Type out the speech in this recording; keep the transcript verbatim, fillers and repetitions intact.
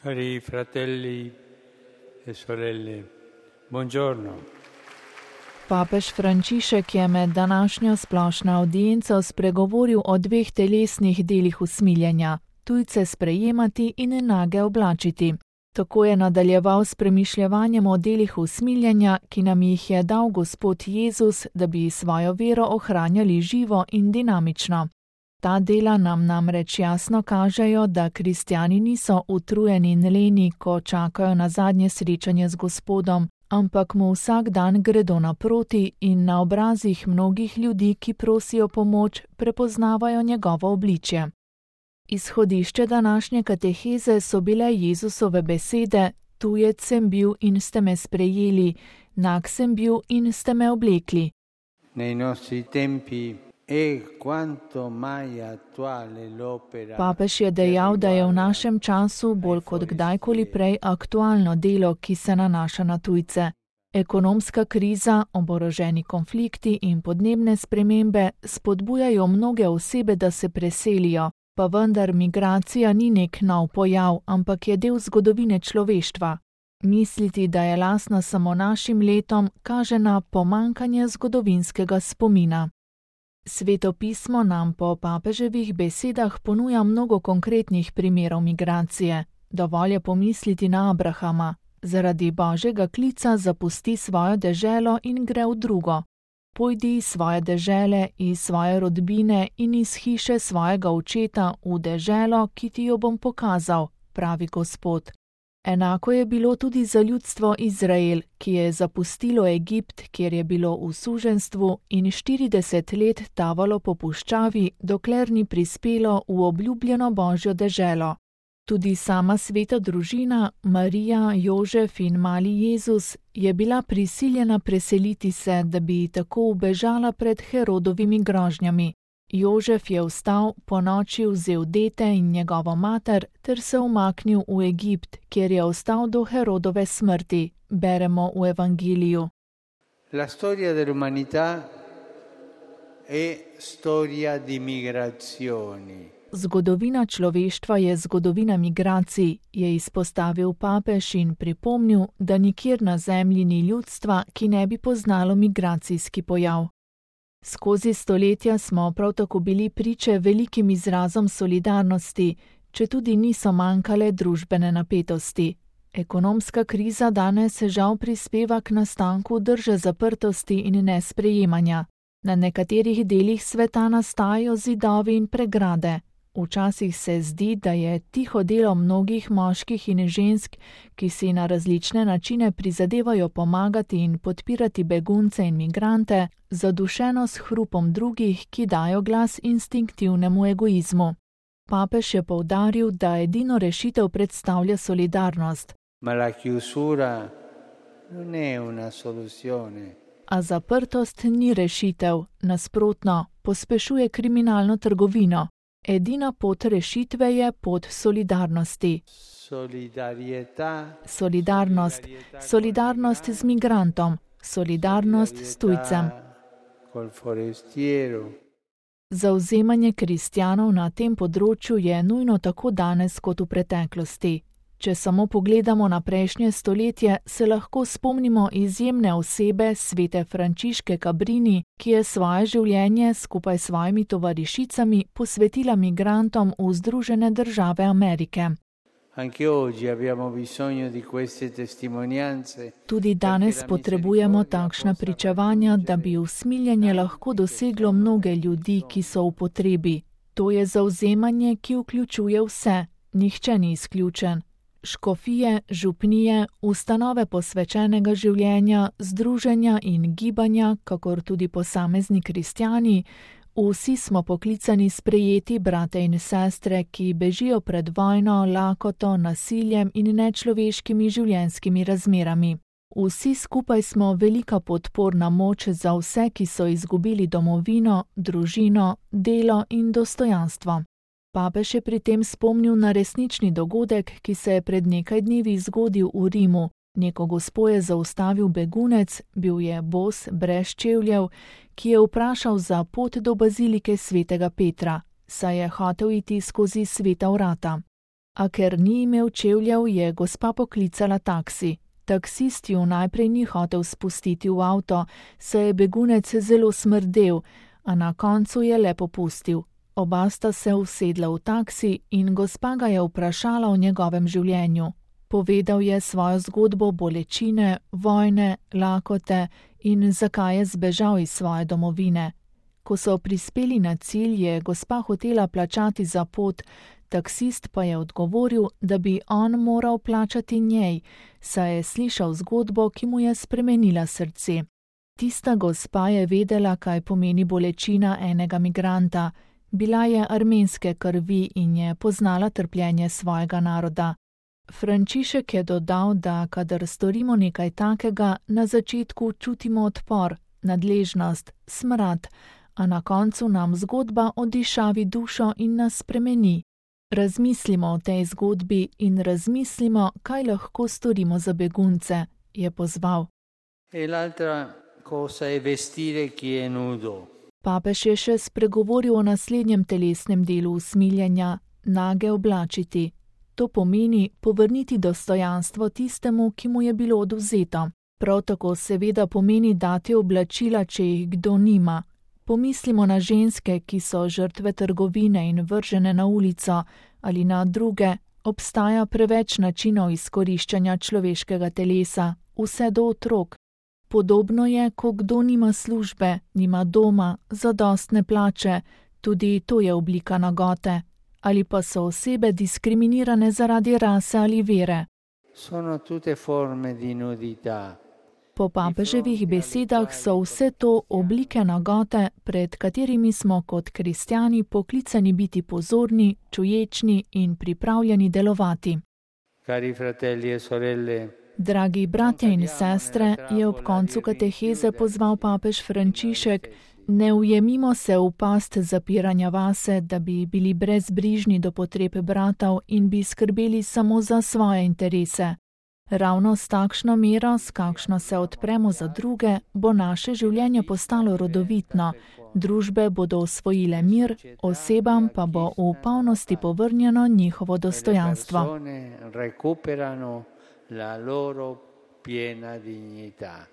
Cari fratelli e sorelle, buongiorno. Papež Frančišek je med današnjo splošno avdienco spregovoril o dveh telesnih delih usmiljenja, tujce sprejemati in nage oblačiti. Tako je nadaljeval s premišljevanjem o delih usmiljenja, ki nam jih je dal Gospod Jezus, da bi svojo vero ohranjali živo in dinamično. Ta dela nam namreč jasno kažejo, da kristjani niso utrujeni in leni, ko čakajo na zadnje srečanje z Gospodom, ampak mu vsak dan gredo naproti in na obrazih mnogih ljudi, ki prosijo pomoč, prepoznavajo njegovo obličje. Izhodišče današnje kateheze so bile Jezusove besede: tujec sem bil in ste me sprejeli, nag sem bil in ste me oblekli. Nei nostri tempi è quanto mai attuale l'opera. Papež je dejal, da je v našem času bolj kot kdajkoli prej aktualno delo, ki se nanaša na tujce. Ekonomska kriza, oboroženi konflikti in podnebne spremembe spodbujajo mnoge osebe, da se preselijo, pa vendar migracija ni nek nov pojav, ampak je del zgodovine človeštva. Misliti, da je lastna samo našim letom, kaže na pomanjkanje zgodovinskega spomina. Sveto pismo nam po papeževih besedah ponuja mnogo konkretnih primerov migracije. Dovolj je pomisliti na Abrahama. Zaradi Božjega klica zapusti svojo deželo in gre v drugo. Pojdi iz svoje dežele, iz svoje rodbine in iz hiše svojega očeta v deželo, ki ti jo bom pokazal, pravi Gospod. Enako je bilo tudi za ljudstvo Izrael, ki je zapustilo Egipt, kjer je bilo v suženjstvu, in štirideset let tavalo po puščavi, dokler ni prispelo v obljubljeno Božjo deželo. Tudi sama sveta družina, Marija, Jožef in mali Jezus, je bila prisiljena preseliti se, da bi tako ubežala pred Herodovimi grožnjami. Jožef je vstal, ponoči vzel dete in njegovo mater ter se umaknil v Egipt, kjer je ostal do Herodove smrti, beremo v Evangeliju. La storia dell'umanità è storia di migrazioni. Zgodovina človeštva je zgodovina migracij, je izpostavil papež in pripomnil, da nikjer na zemlji ni ljudstva, ki ne bi poznalo migracijski pojav. Skozi stoletja smo prav tako bili priče velikim izrazom solidarnosti, četudi niso manjkale družbene napetosti. Ekonomska kriza danes žal prispeva k nastanku drže zaprtosti in nesprejemanja. Na nekaterih delih sveta nastajajo zidovi in pregrade. Včasih se zdi, da je tiho delo mnogih moških in žensk, ki si na različne načine prizadevajo pomagati in podpirati begunce in migrante, zadušeno s hrupom drugih, ki dajo glas instinktivnemu egoizmu. Papež je poudaril, da edino rešitev predstavlja solidarnost. Ma la chiusura non è una soluzione. A zaprtost ni rešitev, nasprotno, pospešuje kriminalno trgovino. Edina pot rešitve je pot solidarnosti. Solidarnost, solidarnost z migrantom, solidarnost s tujcem. Zavzemanje kristjanov na tem področju je nujno tako danes kot v preteklosti. Če samo pogledamo na prejšnje stoletje, se lahko spomnimo izjemne osebe svete Frančiške Cabrini, ki je svoje življenje skupaj s svojimi tovarišicami posvetila migrantom v Združene države Amerike. Tudi danes potrebujemo takšna pričevanja, da bi usmiljenje lahko doseglo mnoge ljudi, ki so v potrebi. To je zavzemanje, ki vključuje vse, nihče ni izključen. Škofije, župnije, ustanove posvečenega življenja, združenja in gibanja, kakor tudi posamezni kristjani, vsi smo poklicani sprejeti brate in sestre, ki bežijo pred vojno, lakoto, nasiljem in nečloveškimi življenjskimi razmerami. Vsi skupaj smo velika podporna moč za vse, ki so izgubili domovino, družino, delo in dostojanstvo. Papež je pri tem spomnil na resnični dogodek, ki se je pred nekaj dnevi zgodil v Rimu. Neko gospo je zaustavil begunec, bil je bos, brez čevljev, ki je vprašal za pot do bazilike svetega Petra, saj je hotel iti skozi sveta vrata. A ker ni imel čevljev, je gospa poklicala taksi. Taksist ju najprej ni hotel spustiti v avto, saj je begunec zelo smrdel, a na koncu je le popustil. Oba sta se usedla v taksi in gospa ga je vprašala o njegovem življenju. Povedal je svojo zgodbo bolečine, vojne, lakote in zakaj je zbežal iz svoje domovine. Ko so prispeli na cilj, je gospa hotela plačati za pot, taksist pa je odgovoril, da bi on moral plačati njej, saj je slišal zgodbo, ki mu je spremenila srce. Tista gospa je vedela, kaj pomeni bolečina enega migranta. Bila je armenske krvi in je poznala trpljenje svojega naroda. Frančišek je dodal, da kadar storimo nekaj takega, na začetku čutimo odpor, nadležnost, smrad, a na koncu nam zgodba odišavi dušo in nas spremeni. Razmislimo o tej zgodbi in razmislimo, kaj lahko storimo za begunce, je pozval. E l'altra cosa è vestire chi è nudo. Papež je še spregovoril o naslednjem telesnem delu usmiljenja, nage oblačiti. To pomeni povrniti dostojanstvo tistemu, ki mu je bilo odvzeto. Prav tako seveda pomeni dati oblačila, če jih kdo nima. Pomislimo na ženske, ki so žrtve trgovine in vržene na ulico, ali na druge. Obstaja preveč načinov izkoriščanja človeškega telesa, vse do otrok. Podobno je, ko kdo nima službe, nima doma, zadostne plače, tudi to je oblika nagote. Ali pa so osebe diskriminirane zaradi rase ali vere. Sono tutte forme di nudità. Po papeževih besedah so vse to oblike nagote, pred katerimi smo kot kristjani poklicani biti pozorni, čuječni in pripravljeni delovati. Cari fratelli e sorelle, Dragi bratje in sestre, je ob koncu kateheze pozval papež Frančišek, ne ujemimo se v past zapiranja vase, da bi bili brezbrižni do potreb bratov in bi skrbeli samo za svoje interese. Ravno s takšno mero, s kakšno se odpremo za druge, bo naše življenje postalo rodovitno, družbe bodo osvojile mir, osebam pa bo v polnosti povrnjeno njihovo dostojanstvo. la loro piena dignità.